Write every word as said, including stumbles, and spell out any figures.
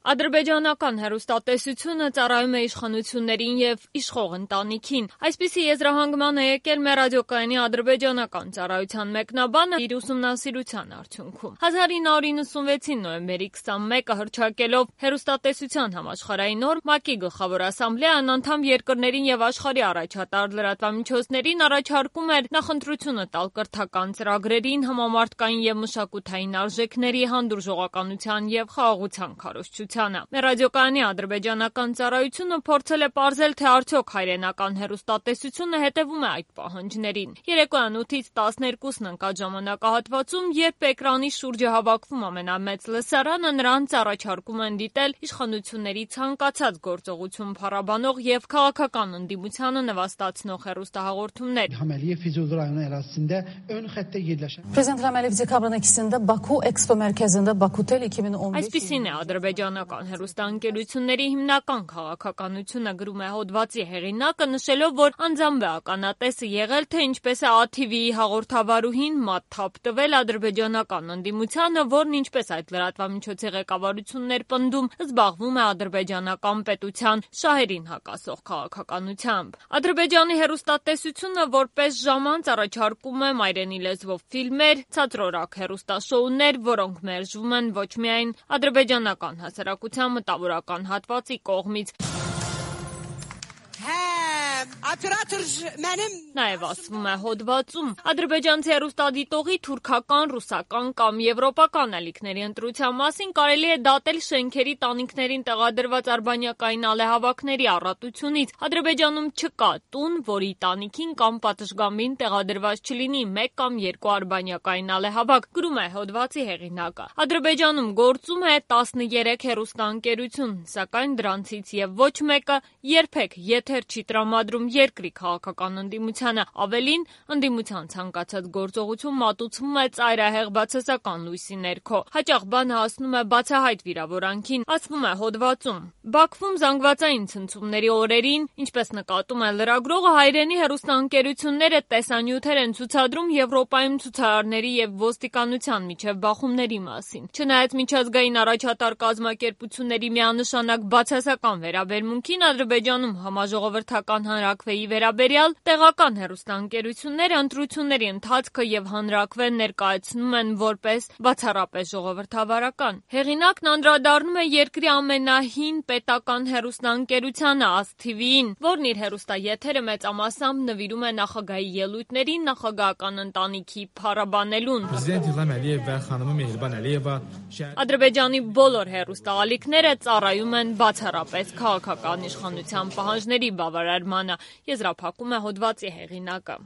Ադրբեջանական հեռուստատեսությունը ծառայում է իշխանություններին եւ իշխող ընտանիքին։ Այսպիսի եզրահանգման է եկել մեր ռադիոկայանի ադրբեջանական ծառայության մեկնաբանը իր ուսումնասիրության արդյունքում։ հազար ինը հարյուր նվաթ նոյեմբերի քսանմեկը հռչակելով հեռուստատեսության համաշխարհային նորմ, ՄԱԿ-ի գլխավոր ասամբլեան անդամ երկրներին եւ աշխարհի առաջատար լրատվամիջոցներին առաջարկում էր նախընտրությունը տալ կրթական ծրագրերին, համամարտկային եւ մշակութային արժեքների, հանդուրժողականության եւ խաղաղության քարոզչության։ Մեր ռադիոկայանի ադրբեջանական ծառայությունը փորձել է պարզել, թե արդյոք հայրենական հեռուստատեսությունը հետևում է այդ պահանջներին։ Երեկոյան ութից տասներկուսն ընկած ժամանակահատվածում, երբ էկրանի շուրջը հավաքվում ամենամեծ լսարանը, նրանց առաջարկում են դիտել իշխանությունների ցանկացած գործողություն փառաբանող եւ քաղաքական ընդդիմությանը նվաստացնող հեռուստահաղորդումներ։ Prezident Rəməliyev dekabrın ikisində Baku Expo Mərkəzində Bakutel iki min on beş Այսպիսին է ադրբեջանական հեռուստաընկերությունների հիմնական քաղաքականությունը, գրում է հոդվածի հեղինակը, նշելով, որ անձամբ է ականատեսը եղել, թե ինչպես է ա թի վի-ի հաղորդավարուհին մատ թափ տվել ադրբեջանական ընդդիմությանը, որն ինչպես այդ լրատվամիջոցի ղեկավարությունն էր պնդում, զբաղվում է ադրբեջանական պետության շահերին հակասող քաղաքականությամբ։ Ադրբեջանի հեռուստատեսությունը որպես ժամանց առաջարկում է մայրենի լեզվով ֆիլմեր, ցածրորակ հեռուստաշոուներ, որոնք մերժվում են ոչ միայն ադրբեջանական հասարակության մտավորական հատվածի կողմից։ Նաև ասվում է հոդվածում, ադրբեջանցի հեռուստադիտողի թուրքական, ռուսական կամ եվրոպական ալիքների ընտրության մասին կարելի է դատել շենքերի տանիքներին տեղադրված արբանյակային ալեհավաքների առատությունից։ Ադրբեջանում չկա տուն, որի տանիքին կամ պատշգամբին տեղադրված չլինի մեկ կամ երկու արբանյակային ալեհավաք, գրում է հոդվածի հեղինակը։ Ադրբեջանում գործում է տասներեք հեռուստաընկերություն, սակայն դրանցից եւ ոչ մեկը երբեք եթեր չի տրամադրում երկրի քաղաքական ընդդիմությանը, ավելին, ընդդիմության ցանկացած գործողություն մատուցվում է ծայրահեղ բացասական լույսի ներքո։ Հաճախ բանը հասնում է բացահայտ վիրավորանքին, ասվում է հոդվածում։ Բաքվում զանգվածային ցնցումների օրերին, ինչպես նկատում է լրագրողը, հայրենի հեռուստաընկերությունները տեսանյութեր են ցուցադրում Եվրոպայում ցուցարարների եւ ոստիկանության միջև բախումների մասին։ Չնայած միջազգային առաջատար կազմակերպությունների միանշանակ բացասական վերաբերմունքին, Ադրբեջանում համաժողովրդական հանրաքվեի վերաբերյալ տեղական հեռուստաընկերությունները ընտրությունների ընթացքը եւ հանրաքվեն ներկայացնում են որպես բացառապես ժողովրդավարական։ Հեղինակն անդրադառնում է երկրի ամենահին պետական հեռուստաընկերությանը ա ս թի վի-ին, որն իր հեռուստաեթերը մեծամասամբ նվիրում է նախագահի ելույթներին, նախագահական ընտանիքի փառաբանելուն։ Ադրբեջանի բոլոր հեռուստաալիքները ծառայում են բացառապես քաղաքական իշխանության պահանջների բավարարմանը, եզրափակում է հոդվածի հեղինակը։